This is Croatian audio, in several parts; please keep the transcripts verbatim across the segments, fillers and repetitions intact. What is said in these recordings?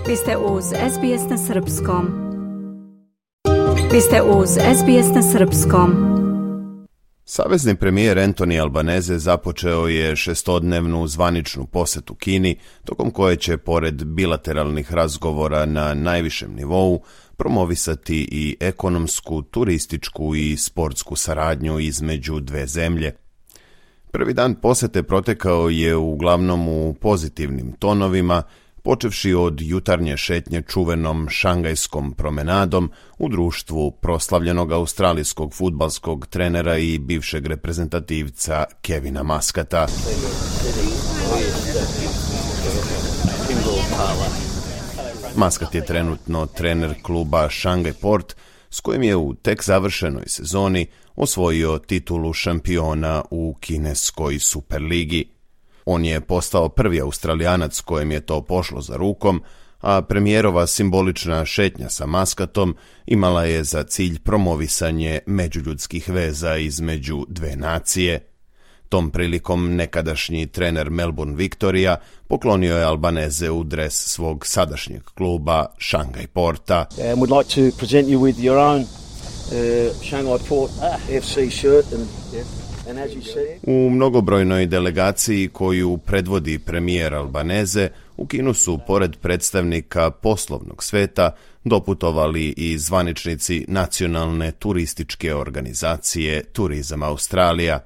Vi ste uz S B S na srpskom. Vi ste uz S B S na srpskom. Savezni premijer Anthony Albanese započeo je šestodnevnu zvaničnu posjetu Kini, tokom koje će, pored bilateralnih razgovora na najvišem nivou, promovisati i ekonomsku, turističku i sportsku saradnju između dve zemlje. Prvi dan posjete protekao je uglavnom u pozitivnim tonovima, počevši od jutarnje šetnje čuvenom šangajskom promenadom u društvu proslavljenog australijskog fudbalskog trenera i bivšeg reprezentativca Kevina Muscata. Muscat je trenutno trener kluba Shanghai Port, s kojim je u tek završenoj sezoni osvojio titulu šampiona u kineskoj Superligi. On je postao prvi Australijanac kojem je to pošlo za rukom, a premijerova simbolična šetnja sa Muscatom imala je za cilj promovisanje međuljudskih veza između dve nacije. Tom prilikom nekadašnji trener Melbourne Victoria poklonio je Albanese u dres svog sadašnjeg kluba Shanghai Porta. And would like to present you with your own uh, Shanghai Port F C shirt and yeah. U mnogobrojnoj delegaciji koju predvodi premijer Albanese, u Kinu su, pored predstavnika poslovnog sveta, doputovali i zvaničnici nacionalne turističke organizacije Turizam Australija.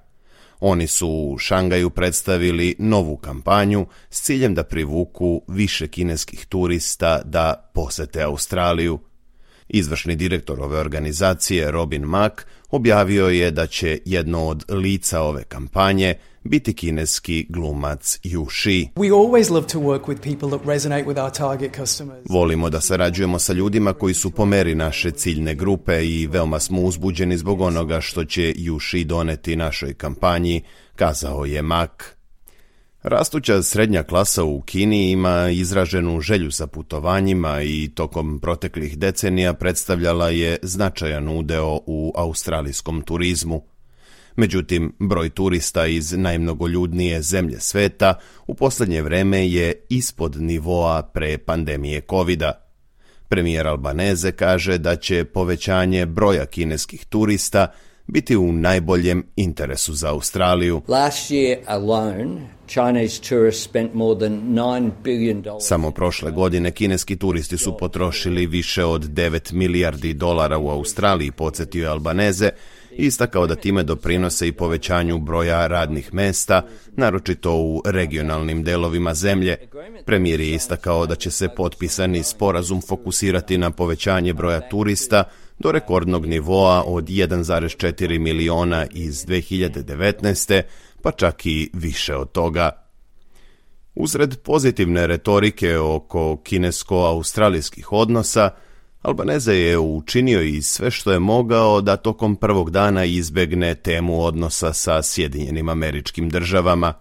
Oni su u Šangaju predstavili novu kampanju s ciljem da privuku više kineskih turista da posete Australiju. Izvršni direktor ove organizacije, Robin Mak, objavio je da će jedno od lica ove kampanje biti kineski glumac Yu Shi. Volimo da sarađujemo sa ljudima koji su po meri naše ciljne grupe i veoma smo uzbuđeni zbog onoga što će Yu Shi doneti našoj kampanji, kazao je Mak. Rastuća srednja klasa u Kini ima izraženu želju za putovanjima i tokom proteklih decenija predstavljala je značajan udeo u australijskom turizmu. Međutim, broj turista iz najmnogoljudnije zemlje sveta u posljednje vreme je ispod nivoa pre pandemije kovida. Premijer Albanese kaže da će povećanje broja kineskih turista biti u najboljem interesu za Australiju. Last year alone, Chinese tourists spent more than nine billion dollars. Samo prošle godine kineski turisti su potrošili više od devet milijardi dolara u Australiji, podsjetio je Albanese, istakao da time doprinose i povećanju broja radnih mesta, naročito u regionalnim delovima zemlje. Premijer je istakao da će se potpisani sporazum fokusirati na povećanje broja turista do rekordnog nivoa od jedan zarez četiri miliona iz dve hiljade devetnaeste, pa čak i više od toga. Uzred pozitivne retorike oko kinesko-australijskih odnosa, Albanese je učinio i sve što je mogao da tokom prvog dana izbegne temu odnosa sa Sjedinjenim Američkim Državama.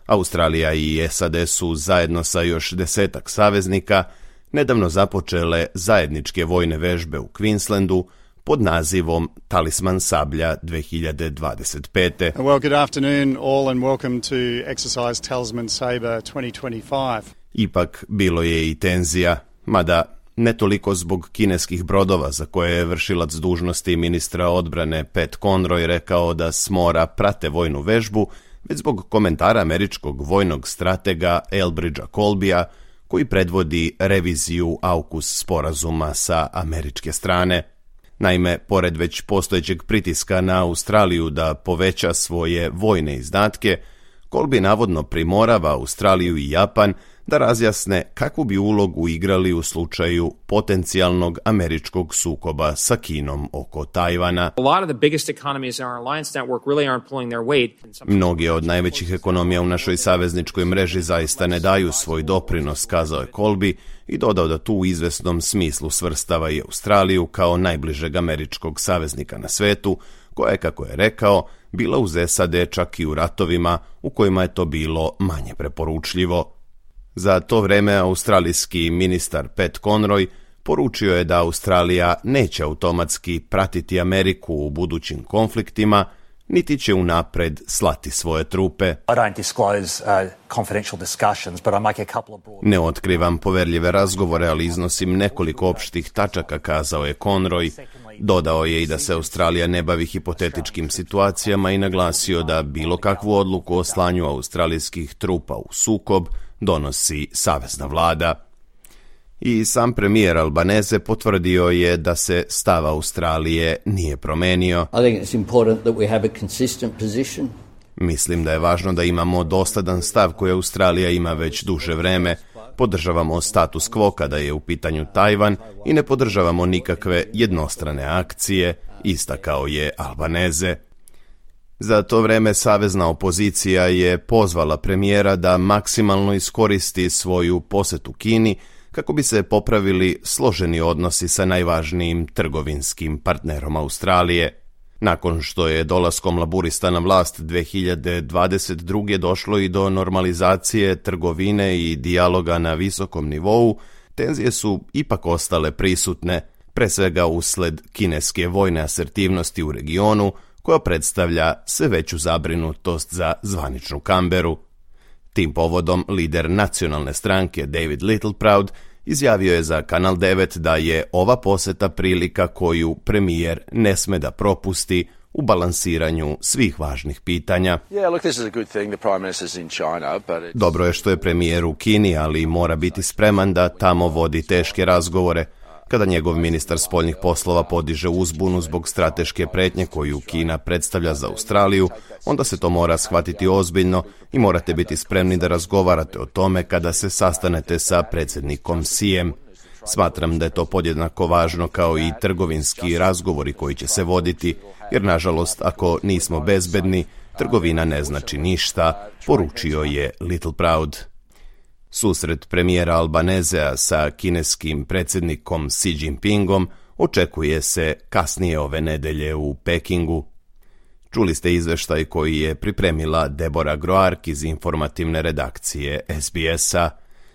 Australija i S A D su zajedno sa još desetak saveznika nedavno započele zajedničke vojne vežbe u Queenslandu pod nazivom Talisman sablja dve hiljade dvadeset pete. Well, good afternoon all and welcome to exercise Talisman Sabre twenty twenty-five. Ipak bilo je i tenzija, mada ne toliko zbog kineskih brodova za koje je vršilac dužnosti ministra odbrane Pat Conroy rekao da s mora prate vojnu vežbu, već zbog komentara američkog vojnog stratega Elbridgea Colbya, koji predvodi reviziju AUKUS sporazuma sa američke strane. Naime, pored već postojećeg pritiska na Australiju da poveća svoje vojne izdatke, Colby navodno primorava Australiju i Japan da razjasne kakvu bi ulogu igrali u slučaju potencijalnog američkog sukoba sa Kinom oko Tajvana. Mnogi od najvećih ekonomija u našoj savezničkoj mreži zaista ne daju svoj doprinos, kazao je Colby i dodao da tu u izvesnom smislu svrstava i Australiju kao najbližeg američkog saveznika na svetu, koja je, kako je rekao, bila uz S A D čak i u ratovima u kojima je to bilo manje preporučljivo. Za to vreme australijski ministar Pat Conroy poručio je da Australija neće automatski pratiti Ameriku u budućim konfliktima, niti će unapred slati svoje trupe. Ne otkrivam poverljive razgovore, ali iznosim nekoliko opštih tačaka, kazao je Conroy. Dodao je i da se Australija ne bavi hipotetičkim situacijama i naglasio da bilo kakvu odluku o slanju australijskih trupa u sukob donosi savezna vlada. I sam premijer Albanese potvrdio je da se stav Australije nije promenio. Mislim da je važno da imamo dosadan stav koji Australija ima već duže vreme. Podržavamo status quo kada je u pitanju Tajvan i ne podržavamo nikakve jednostrane akcije, istakao je Albanese. Za to vreme savezna opozicija je pozvala premijera da maksimalno iskoristi svoju posetu Kini kako bi se popravili složeni odnosi sa najvažnijim trgovinskim partnerom Australije. Nakon što je dolaskom laburista na vlast dve hiljade dvadeset druge došlo i do normalizacije trgovine i dijaloga na visokom nivou, tenzije su ipak ostale prisutne, pre svega usled kineske vojne asertivnosti u regionu, koja predstavlja sve veću zabrinutost za zvaničnu Kamberu. Tim povodom lider nacionalne stranke David Littleproud izjavio je za Kanal devet da je ova poseta prilika koju premijer ne sme da propusti u balansiranju svih važnih pitanja. Dobro je što je premijer u Kini, ali mora biti spreman da tamo vodi teške razgovore. Kada njegov ministar spoljnih poslova podiže uzbunu zbog strateške pretnje koju Kina predstavlja za Australiju, onda se to mora shvatiti ozbiljno i morate biti spremni da razgovarate o tome kada se sastanete sa predsjednikom Xijem. Smatram da je to podjednako važno kao i trgovinski razgovori koji će se voditi, jer nažalost ako nismo bezbedni, trgovina ne znači ništa, poručio je Littleproud. Susret premijera Albanesea sa kineskim predsjednikom Xi Jinpingom očekuje se kasnije ove nedelje u Pekingu. Čuli ste izveštaj koji je pripremila Deborah Groark iz informativne redakcije S B S-a.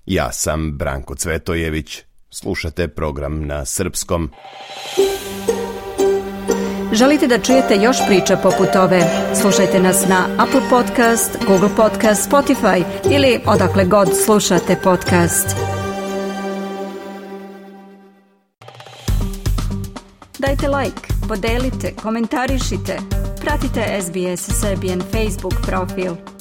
Ja sam Branko Cvetojević. Slušate program na srpskom. Želite da čujete još priča poput ove? Slušajte nas na Apple Podcast, Google Podcast, Spotify ili odakle god slušate podcast. Dajte like, podelite, komentarišite. Pratite S B S Serbian Facebook profil.